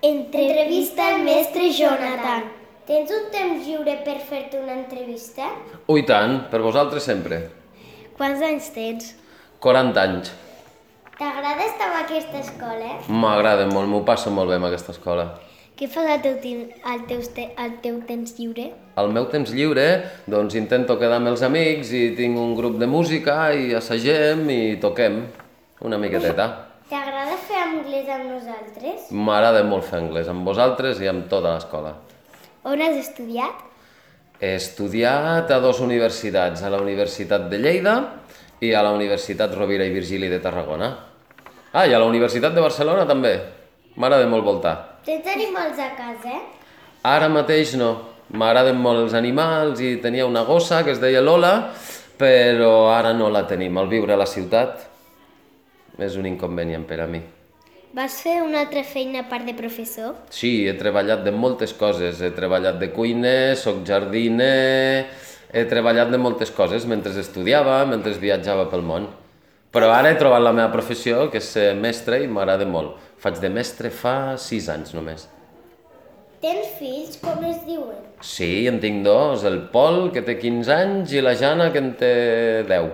Entrevista al mestre Jonathan. Tens un temps lliure per fer-te una entrevista? Ui tant, per vosaltres sempre. Quants anys tens? 40 anys. T'agrada estar a aquesta escola? M'agrada molt, m'ho passo molt bé amb aquesta escola. Què fas al teu temps lliure? Al meu temps lliure, doncs intento quedar amb els amics i tinc un grup de música i assagem i toquem una miqueteta. T'agrada fer anglès amb nosaltres? M'agrada molt fer anglès amb vosaltres i amb tota l'escola. On has estudiat? He estudiat a 2 universitats, a la Universitat de Lleida i a la Universitat Rovira i Virgili de Tarragona. Ah, i a la Universitat de Barcelona també. M'agrada molt voltar. Tens animals a casa? Ara mateix no. M'agraden molt els animals i tenia una gossa que es deia Lola, però ara no la tenim. Al viure a la ciutat és un inconvenient per a mi. Vas fer una altra feina a part de professor? Sí, he treballat de moltes coses. He treballat de cuiner, soc jardiner... He treballat de moltes coses mentre estudiava, mentre viatjava pel món. Però ara he trobat la meva professió, que és ser mestre, i m'agrada molt. Faig de mestre fa 6 anys només. Tens fills? Com es diuen? Sí, en tinc 2, el Pol, que té 15 anys, i la Jana, que en té 10.